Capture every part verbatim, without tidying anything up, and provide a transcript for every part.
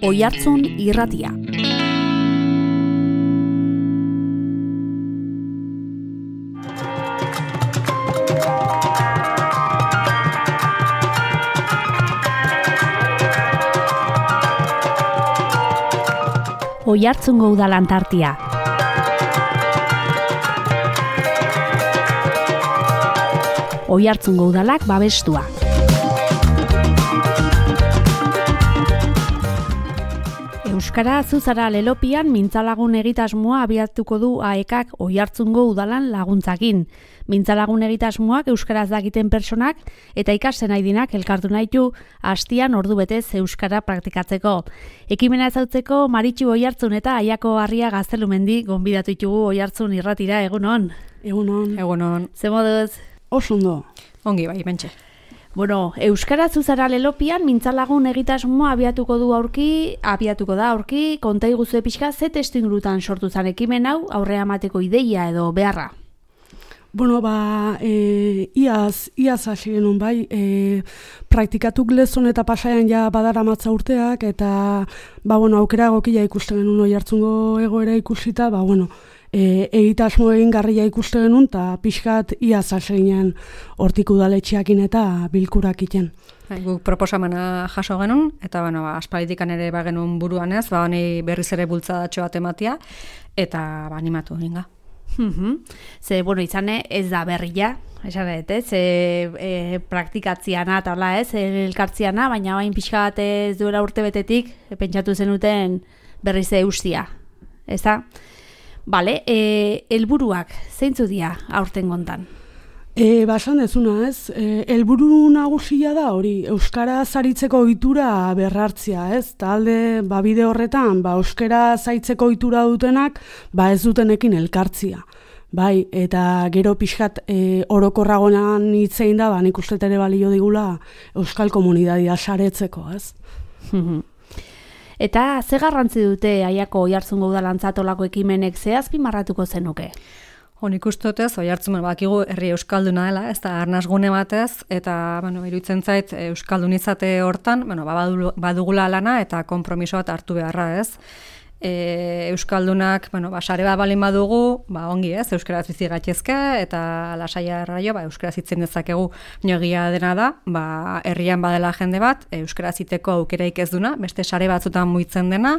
Oihartzun Irratia. Oihartzungo Udal Antartia. Oihartzungo Udalak babestua. Euskara Zuzara Lelopian mintzalagun egitasmoa abiatuko du A E Kak Oihartzungo Udalan laguntzakin. Mintzalagun egitasmoak euskaraz dakiten pertsonak eta ikasten nahi dinak elkartu nahitu hastian ordu betez euskara praktikatzeko. Ekimena ezautzeko Maritxu Oihartzun eta Aiako Harria Gaztelumendi gonbidatu ditugu Oihartzun Irratira. Egunon. Egunon. Egunon. Ze moduz? Oso ondo. Ongi bai, mentxe. Bueno, Euskara Zuzara Lelopian mintzalagun egitasmoa abiatuko du aurki, abiatuko da aurki, konta iguzue pixka ze testu ingurutan sortu zan ekimen hau, aurrea emateko ideia edo beharra? Bueno, ba, e, iaz, iaz hasi genuen bai, e, praktikatuk lezon eta pasaian ja badara matza urteak, eta, ba, bueno, aukera gokila ikusten genuen Oihartzungo egoera ikusita, ba, bueno, E, egitasmo egin garria ikuste genuen, eta pixkat iaz hasi ginen hortik udaletxeakin eta bilkurak iten. Guk proposamena jaso genuen, eta bueno, ba, aspaldikan ere ba genuen buruan ez, ba, honi berriz ere bultzadatxo bat ematia, eta ba, animatu eginga. Mm-hmm. Ze, bueno, izane ez da berria, esan dut, ez, e, e, praktikatziana eta hola ez, elkartziana, baina bain pixka bat ez duela urte betetik, e, pentsatu zenuten berriz eustia, ez da? Bale, e, helburuak zeintzu dira aurten gontan? E, Basan ezuna ez, e, helburu nagusia da hori, euskara zaritzeko ohitura berrartzia, ez? Talde, ba, bide horretan, ba, euskara zaitzeko ohitura dutenak, ba, ez dutenekin elkartzia. Bai, eta gero pixkat e, orokorragonan hitzein da, ba, nik uste ere balio digula euskal komunidadia saretzeko, ez? Eta ze garrantzi dute Aiako Oihartzungo Udalantzat olako ekimenek ze azpimarratuko zenuke? Honik ustotez, Oihartzun bakigu herri euskalduna dela, ez da arnasgune batez, eta bueno, iruditzen zait euskaldun izate hortan, bueno, badugula lana eta konpromiso bat hartu beharra, ez? E, euskaldunak, bueno, ba, sare bat balin badugu, ba, ongi ez, euskaraz bizi gaitezke, eta lasaia erraio, ba, euskaraz hitzen dezakegu, egia dena da, ba, herrian badela jende bat, euskaraz hiteko aukeraik ez duna, beste sare batzutan muitzen dena,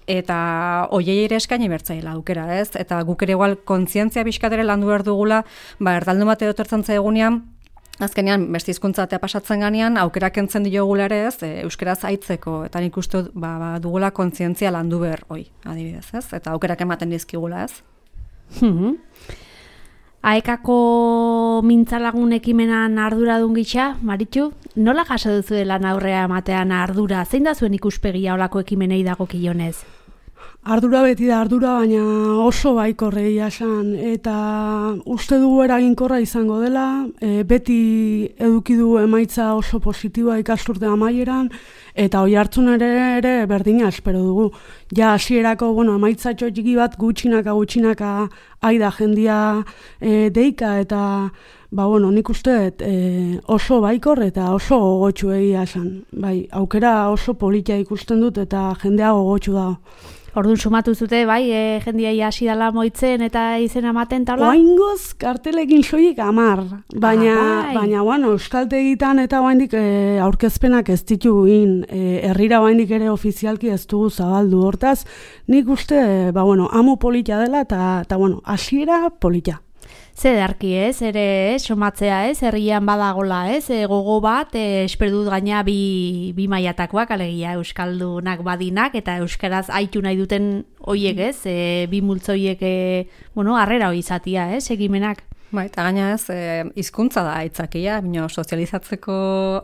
eta hoiei ere eskaini bertzaila aukera, ez? Eta guk ere igual kontzientzia pixkat ere landu behar dugula, ba, erdaldun bat edo tortzen zaigunean, azkenean, beste hizkuntza eta pasatzen ganean, aukerak entzen diogula ere ez, e, euskaraz aitzeko, eta nik uste ba, ba, dugula kontzientzia landu behar, oi, adibidez, ez? Eta aukerak ematen dizkigula, ez? Hmm. A E Kako mintzalagun ekimenan arduradun gisa, Maritxu, nola jaso duzu lan aurrea ematean ardura? Zein da zuen ikuspegia olako ekimenei dagokionez? Ardura beti da ardura, baina oso baikorre esan, eta uste dugu eraginkorra izango dela, e, beti eduki du emaitza oso positiboa ikasturte amaieran, eta Oihartzun ere, ere berdina espero dugu. Ja hasierako, bueno, emaitza txotxiki bat gutxinaka gutxinaka aida jendia e, deika, eta ba, bueno, nik uste e, oso baikor eta oso gogotxu egia esan. Bai, aukera oso politia ikusten dut eta jendea gogotxu da. Orduan sumatu zute, bai, e, jendia hasi dela moitzen eta izena ematen taula? Oaingoz kartelekin soilik amar, baina, ah, bai. baina bueno, euskaltegitan eta oaindik e, aurkezpenak ez dituguin, e, herrira oaindik ere ofizialki ez dugu zabaldu, hortaz, nik uste, ba, bueno, amu politia dela eta, eta bueno, hasiera politia. Ze darki ez, ere ez, somatzea ez, herrian badagola ez, e, gogo bat, e, esperdut gaina bi, bi maiatakoak, alegia euskaldunak badinak, eta euskaraz aitu nahi duten hoiek ez, e, bi multzoiek, e, bueno, harrera hoi izatia ez, egimenak. Ba, eta gaina ez, e, hizkuntza da aitzakia, bino sozializatzeko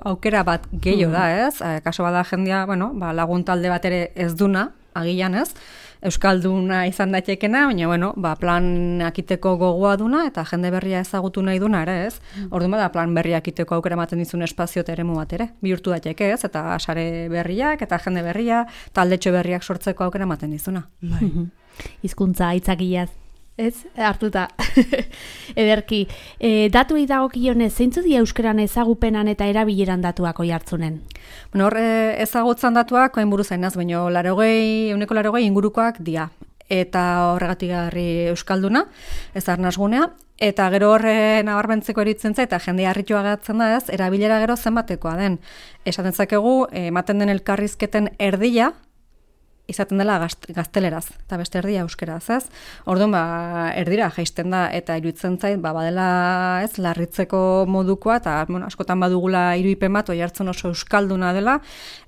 aukera bat gehiago da ez, e, kaso bada jendia, bueno, ba, lagun talde bat ere ez duna, agian ez, euskalduna izan daitekena, baina bueno, ba, plan akiteko gogoa duna eta jende berria ezagutu nahi duna ere, ez? Orduan bada plan berria akiteko aukera ematen dizun espazio eta eremu bat ere, bihurtu daiteke, ez? Eta sare berriak eta jende berria, taldetxo berriak sortzeko aukera ematen dizuna. Bai. Hizkuntza aitzakiaz. Ez, hartuta. Ederki. E, datuei dagokionez, zeintzu dira euskeran ezagupenan eta erabileran datuak oihartzunen? Bueno, hor ezagutzan datuak, hain buruz zainaz, baina larogei, euneko larogei ingurukoak dia. Eta horregatik garri euskalduna, ez arnasgunea. Eta gero horre nabarmentzeko eritzen zait, eta jende harritua geratzen da ez, erabilera gero zenbatekoa den. Esaten zakegu, ematen den elkarrizketen erdia, izaten dela gazteleraz, eta beste erdia euskeraz, ez? Orduan, ba, erdira jaisten da, eta iruditzen zait, ba, badela, ez, larritzeko modukoa, eta, bueno, askotan badugula irudipen bat, oihartzun oso euskalduna dela,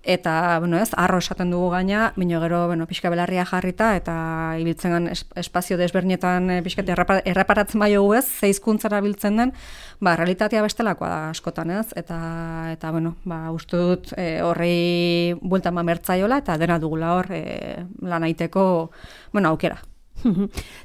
eta, bueno, ez, arro esaten dugu gaina, bino gero, bueno, pixka belarria jarrita, eta ibiltzen gan espazio desbernietan pixka erraparatzen bai ez, ze hizkuntzara biltzen den, ba, realitatea bestelakoa da askotan, ez? Eta, eta bueno, ba, uste dut e, horrei bueltan mamertzaiola, eta dena dugula hor, e, lan aiteko, bueno, aukera.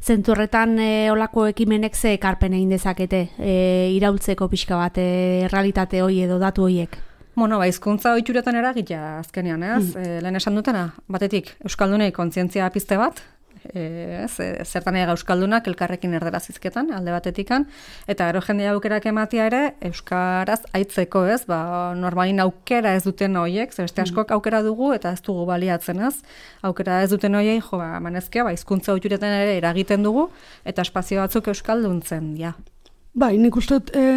Zentu horretan e, olako ekimenek ze ekarpen egin dezakete e, iraultzeko pixka bat e, realitate hoi edo datu hoiek? Bueno, ba, hizkuntza ohituretan eragitea azkenean, ez? Mm. E, lehen esan dutena, batetik, euskaldunei kontzientzia pizte bat, E, ez, zertan ega euskaldunak elkarrekin erderaz izketan, alde batetikan, eta gero jendea aukerak ematia ere, euskaraz aitzeko, ez, ba, normalin aukera ez duten horiek, ze beste askok aukera dugu, eta ez dugu baliatzen, ez, aukera ez duten horiek, jo, ba, manezkea, ba, hizkuntza ohituretan ere eragiten dugu, eta espazio batzuk euskalduntzen, ja. Bai, nik uste e,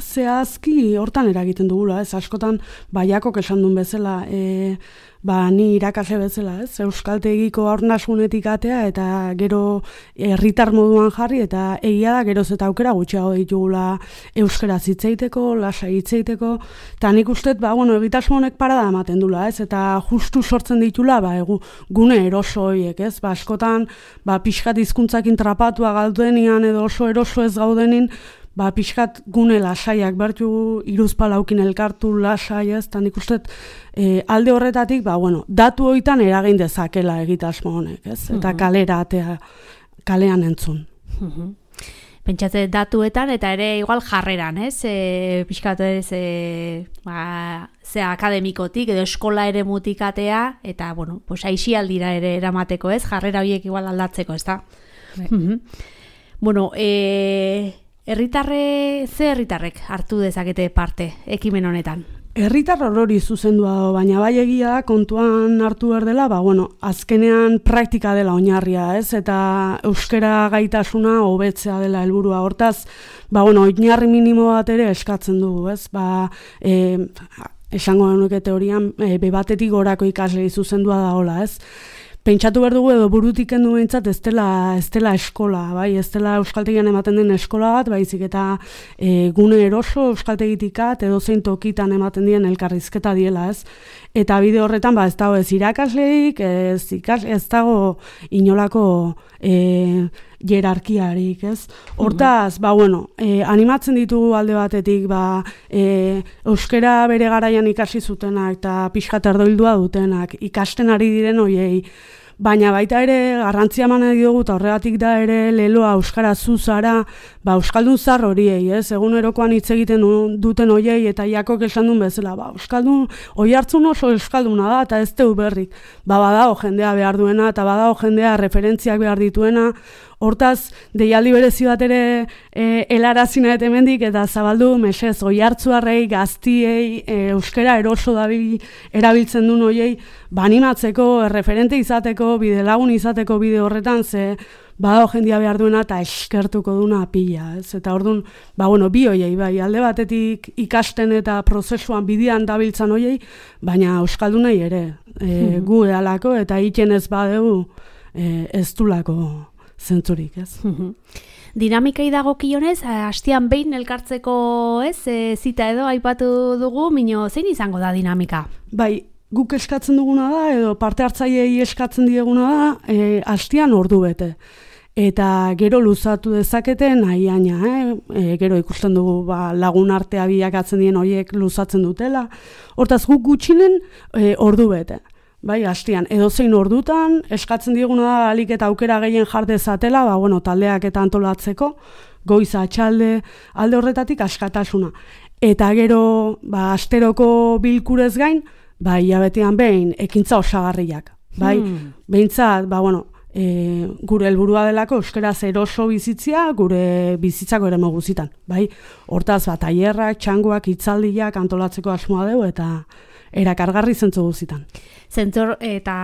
zehazki hortan eragiten dugula, ez, askotan baiakok esan duen bezala, e, ba, ni irakasle bezala, ez, euskaltegiko aurnasunetik atea, eta gero herritar moduan jarri, eta egia da geroz eta aukera gutxiago ditugula euskaraz hitzeiteko, lasai hitzeiteko, eta nik uste, ba, bueno, egitasmo honek parada ematen dula, ez, eta justu sortzen ditula, ba, egu, gune eroso horiek, ez, ba, askotan, ba, pixkat hizkuntzakin trapatua gaudenian, edo oso eroso ez gaudenin, ba, pixkat gune lasaiak bertu iruzpalaukin elkartu lasai, ez, eta nik uste e, alde horretatik, ba, bueno, datu hoitan eragin dezakela egitasmo honek, ez, eta kalera atea, kalean entzun. Pentsatze datuetan eta ere igual jarreran, ez, e, pixkat ez, e, ba, ze akademikotik edo eskola ere mutikatea, eta, bueno, pues, aixialdira ere eramateko, ez, jarrera horiek igual aldatzeko, ez da? Bueno, e... Herritarre, ze herritarrek hartu dezakete parte ekimen honetan? Herritar orori zuzendua, baina bai egia da kontuan hartu behar dela, ba, bueno, azkenean praktika dela oinarria, ez? Eta euskara gaitasuna hobetzea dela helburua. Hortaz, ba, bueno, oinarri minimo bat ere eskatzen dugu, ez? Ba, e, esango genuke teorian, e, be batetik gorako ikaslei zuzendua da hola, ez? Pentsatu behar dugu edo burutik kendu behintzat ez dela, ez dela eskola, bai? Ez dela euskaltegian ematen den eskola bat, baizik eta e, gune eroso euskaltegitikat edo zein tokitan ematen dien elkarrizketa diela, ez? Eta bide horretan, ba, ez dago ez irakasleik, ez, ikas, ez dago inolako e, jerarkiarik, ez? Hortaz, ba, bueno, e, animatzen ditugu alde batetik, ba, e, euskara bere garaian ikasi zutenak eta pixkat erdoildua dutenak, ikasten ari diren hoiei, baina baita ere garrantzia eman nahi dugu, eta horregatik da ere leloa euskara zuzara, ba, euskaldun zar horiei, ez? Egunerokoan hitz egiten duten hoiei, eta jakok esan duen bezala, ba, euskaldun, oihartzun oso euskalduna da, eta ez teu berrik. Ba, badago jendea behar duena, eta badago jendea referentziak behar dituena. Hortaz, deialdi berezi bat ere e, helarazina eta hemendik, eta zabaldu, mesez, oihartzuarrei, gaztiei, e, euskara eroso dabil erabiltzen duen hoiei, ba, animatzeko, referente izateko, bide lagun izateko bide horretan, ze badago jendia behar duena eta eskertuko duna pila, ez? Eta orduan, ba, bueno, bi hoiei, bai, alde batetik ikasten eta prozesuan bidean dabiltzan hoiei, baina euskaldunei ere, e, gu edalako, eta iten ez badegu e, ez dulako zentzurik, ez? Dinamikai dagokionez, hastian behin elkartzeko, ez, e, zita edo aipatu dugu, mino zein izango da dinamika? Bai, guk eskatzen duguna da, edo parte hartzaileei eskatzen dieguna da, e, hastian ordu bete. Eta gero luzatu dezakete nahiaina, eh? E, gero ikusten dugu ba, lagun artea bilakatzen dien horiek luzatzen dutela. Hortaz guk gutxinen e, ordu bete. Bai, hastian, edozein ordutan, eskatzen dieguna da alik eta aukera gehien jardezatela, ba, bueno, taldeak eta antolatzeko, goiza, atxalde, alde horretatik askatasuna. Eta gero, ba, asteroko bilkurez gain, ba, hilabetean behin, ekintza osagarriak. Bai, hmm. behintzat, ba, bueno, e, gure helburua delako euskaraz eroso bizitzia gure bizitzako ere guzitan, bai? Hortaz, bat, tailerrak, txangoak, hitzaldiak antolatzeko asmoa dugu eta erakargarri zentzu guzitan. Zentzor eta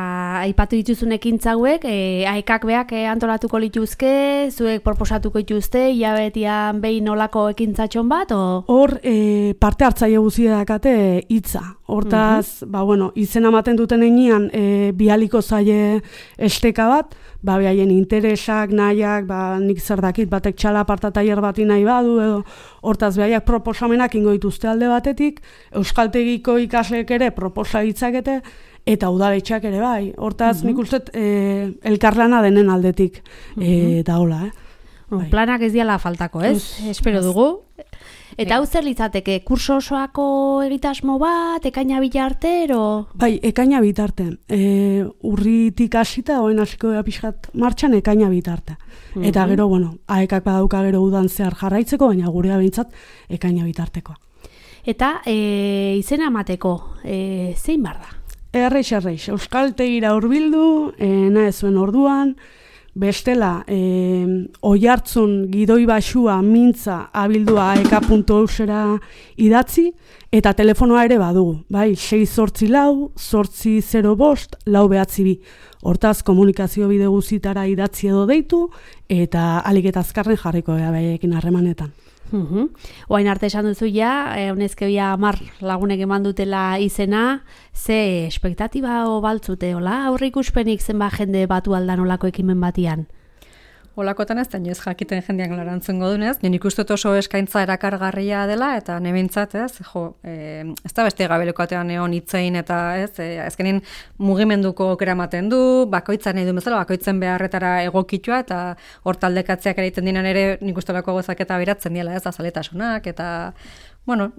aipatu dituzun ekintza hauek, e, aekak beak e, antolatuko lituzke, zuek proposatuko dituzte, hilabetian behin nolako ekintzatxon bat, o? Hor, e, parte hartzaile guztia dakate hitza. Hortaz, uh -huh. ba, bueno, izen ematen duten enean, e, bialiko zaie esteka bat, ba, behaien interesak, nahiak, ba, nik zer dakit, batek txala aparta tailer bati nahi badu, edo, hortaz, behaiak proposamenak ingo dituzte alde batetik, euskaltegiko ikasleek ere proposa ditzakete, eta udaletxeak ere bai. Hortaz, uh-huh. nik uste e, elkarlana denen aldetik e, da hola, eh? Bai. Planak ez diala faltako, ez? ez Espero ez. dugu. Eta hau zer litzateke, kurso osoako egitasmo bat, ekaina bitarte, ero? Bai, ekaina bitarte. E, urritik hasita, oen hasiko da pixkat martxan, ekaina bitarte. Uh-huh. Eta gero, bueno, aekak badauka gero udan zehar jarraitzeko, baina gurea behintzat ekaina bitartekoa. Eta e, izena emateko, e, zein bar da? Erreix, erreix, euskaltegira hurbildu, e, nahi zuen orduan, bestela, e, oihartzun gidoi baxua mintza abildua aeka puntu eusera idatzi, eta telefonoa ere badugu, bai, sei zortzi lau, zortzi zero bost, lau behatzi bi. Hortaz, komunikazio bide guzitara idatzi edo deitu, eta alik eta azkarren jarriko gara behaiekin harremanetan. Uhum. Oain arte esan duzu ja, e, honezke bia amar lagunek eman dutela izena, ze espektatiba o baltzute, hola? Aurre ikuspenik zenba jende batu aldan olako ekimen batian? Olakotan ez da, inoiz jakiten jendeak larantzen godunez, nien ikustot oso eskaintza erakargarria dela, eta nebintzat, ez, jo, e, ez da beste gabelekoatean egon hitzein, eta ez, e, azkenin mugimenduko okera ematen du, bakoitzan nahi du bezala, bakoitzen beharretara egokitua, eta hor taldekatzeak egiten dinan ere nik ustolako gozak eta beratzen diela, ez, azaletasunak, eta, bueno,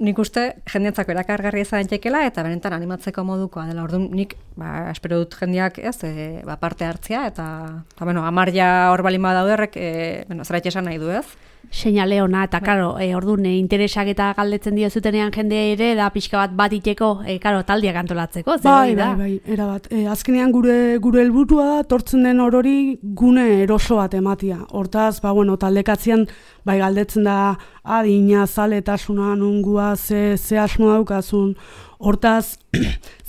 nik uste jendeatzako erakargarria izan daitekeela eta benetan animatzeko modukoa dela. Orduan nik ba, espero dut jendeak ez, e, ba, parte hartzea eta, eta bueno, amarja hor balin badauderrek e, bueno, zerbait esan nahi du, ez? Seinale ona eta karo, e, orduan e, interesak eta galdetzen dio zutenean jende ere da pixka bat bat iteko, e, karo, taldiak antolatzeko, zer bai, da? Bai, bai, erabat. E, azkenean gure gure helburua da tortzen den orori gune eroso bat ematia. Hortaz, ba bueno, taldekatzean bai galdetzen da adina, zaletasuna, nungua, ze, ze asmo daukazun. Hortaz,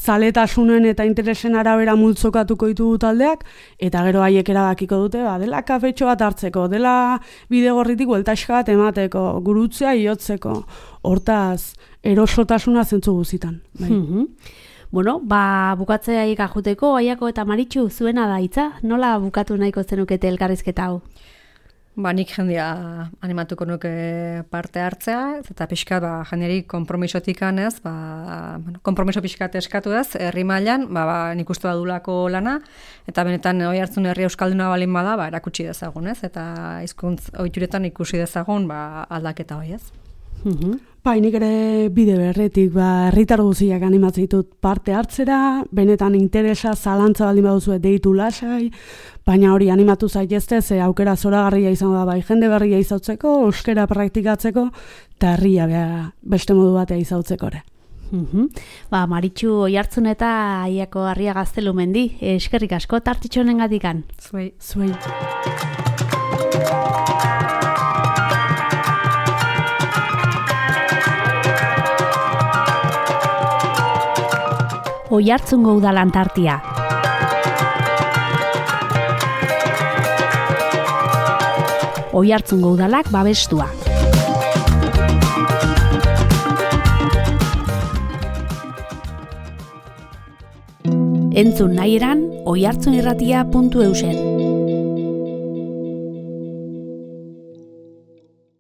zaletasunen eta interesen arabera multzokatuko ditugu taldeak, eta gero haiek erabakiko dute, ba, dela kafetxo bat hartzeko, dela bidegorritik bueltaxka bat emateko, gurutzea iotzeko. Hortaz, erosotasuna zentzu guzitan. Bai. Mm-hmm. Bueno, ba, bukatzea ikajuteko, Aiako eta Maritxu, zuena da hitza? Nola bukatu nahiko zenukete elkarrizketa hau? Ba, nik jendia animatuko nuke parte hartzea, eta pixkat, ba, jendeari konpromisotik anez, ba, bueno, konpromiso pixkat eskatu ez, herri mailan, ba, ba, nik uste badulako lana, eta benetan hoi hartzun herri euskalduna balin bada, ba, erakutsi dezagun ez, eta hizkuntz ohituretan ikusi dezagun, ba, aldaketa hoi ez. Mm-hmm. Bai, nik ere bide berretik, ba, herritar guztiak animatzen ditut parte hartzera, benetan interesa, zalantza baldin baduzu deitu lasai, baina hori animatu zaitezte, ze aukera zoragarria izango da, bai, jende berria izautzeko, euskera praktikatzeko, eta herria beste modu batea izautzeko ere. Mm-hmm. Ba, Maritxu Oihartzun eta Aiako Harria Gaztelumendi, eskerrik asko tartitxo honengatikan. Zuei. Zuei. Oihartzungo udalan tartia. Oihartzungo udalak babestua. Entzun nahi eran oihartzunirratia puntu eusen.